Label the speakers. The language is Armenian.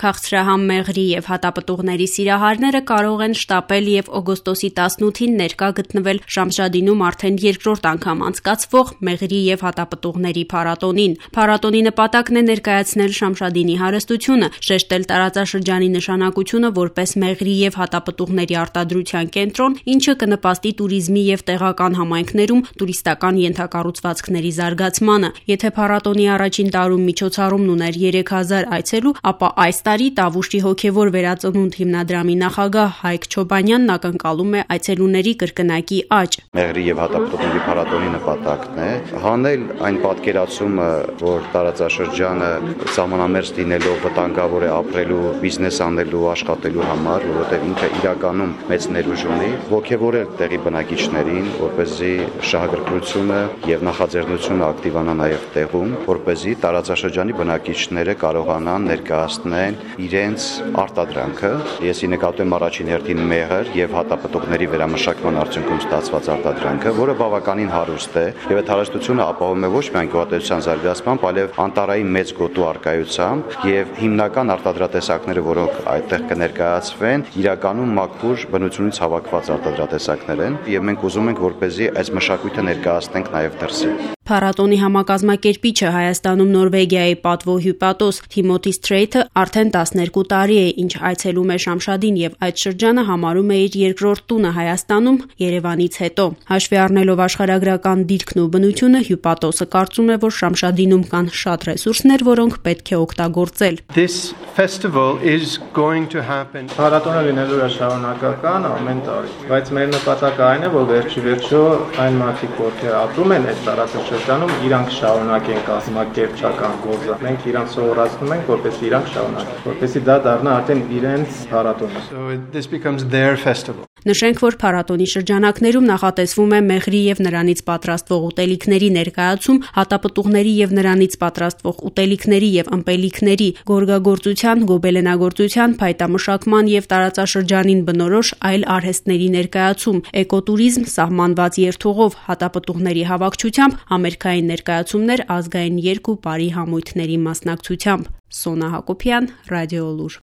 Speaker 1: Քաղցրահամ մեղրի եւ հատապտուղների սիրահարները կարող են շտապել եւ օգոստոսի 18-ին ներկա գտնվել Շամշադինում արդեն երկրորդ անգամ անցկացվող մեղրի եւ հատապտուղների փառատոնին։ Փառատոնի նպատակն է ներկայացնել Շամշադինի հարստությունը, շեշտել տարածաշրջանի նշանակությունը որպես մեղրի եւ հատապտուղների արտադրության կենտրոն, ինչը կնպաստի туриզմի եւ տեղական համայնքներում տուրիստական ենթակառուցվածքների զարգացմանը։ Եթե փառատոնի առաջին տարում միջոցառումն ուներ 3000 այցելու, ապա այս տարի Տավուշի հոգևոր վերածնունդ հիմնադրամի նախագահ Հայկ Չոբանյանն ակնկալում է այցելուների կրկնակի աճ։
Speaker 2: Մեղրի եւ հատապտուղների փառատոնի նպատակն է հանել այն պատկերացումը, որ տարածաշրջանը սահմանամերձ լինելով վտանգավոր է ապրելու, բիզնես անելու, աշխատելու համար, որովհետեւ ինքը իրականում մեծ ներուժ ունի, ոգևորել տեղի բնակիչներին, որպեսզի շահագրգռությունը եւ նախաձեռնությունը ակտիվանա նաեւ տեղում, որպեսզի տարածաշրջանի բնակիչները կարողանան ներկայացնել իրենց արտադրանքը։ Ես նկատում եմ առաջին հերթին մեղր եւ հատապտուղների վերամշակման արդյունքում ստացված արտադրանքը, որը բավականին հարուստ է եւ այդ հարստությունը ապահովում է ոչ միայն գյուղատնտեսության զարգացմամբ, այլև անտառային մեծ գոտու առկայությամբ եւ հիմնական արտադրատեսակները, որոնք այդտեղ կներկայացվեն, իրականում մաքուր բնությունից հավաքված արտադրատեսակներ են եւ մենք ուզում ենք որպեսզի այս մշակույթը ներկայացնենք նաեւ դրսի։
Speaker 1: Փառատոնի համակազմակերպիչը Հայաստանում Նորվեգիայի պատվո հյուպատոս Թիմոթի Սթրեյթը արդեն 12 տարի է, ինչ այցելում է Շամշադին եւ այդ շրջանը համարում է իր երկրորդ տունը Հայաստանում Երևանից հետո։ Հաշվի առնելով աշխարհագրական դիրքն ու բնությունը, հյուպատոսը կարծում է, որ Շամշադինում կան շատ ռեսուրսներ, որոնք պետք է օգտագործել։
Speaker 3: Փառատոնը լինելու է շարունակական ամեն տարի, բայց մեր նպատակը այն է, որ վերջիվերջո այն մարդիկ, ովքեր ապրում են այդ տարածաշրջանում, իրանք շարունակեն կազմակերպչական գործը։ Մենք իրանք սովորացնում ենք, որպեսզի իրանք շարունակեն, որպեսզի դա դառնա արդեն իրենց փառատոնը։ So this becomes their festival.
Speaker 1: Նշենք, որ փառատոնի շրջանակներում նախատեսվում է մեղրի եւ նրանից պատրաստվող ուտելիքների ներկայացում, հատապտուղների եւ նրանից պատրաստվող ուտելիքների եւ ըմպելիքների, գորգագործության, գոբելենագործության, փայտամշակման եւ տարածաշրջանին բնորոշ այլ արհեստների ներկայացում, էկոտուրիզմ, սահմանված երթուղով, հատապտուղների հավաքչությամբ, համերգային ներկայացումներ ազգային երգ ու պարի համույթների մասնակցությամբ։ Սոնա Հակոբյան, Ռադիոլուր։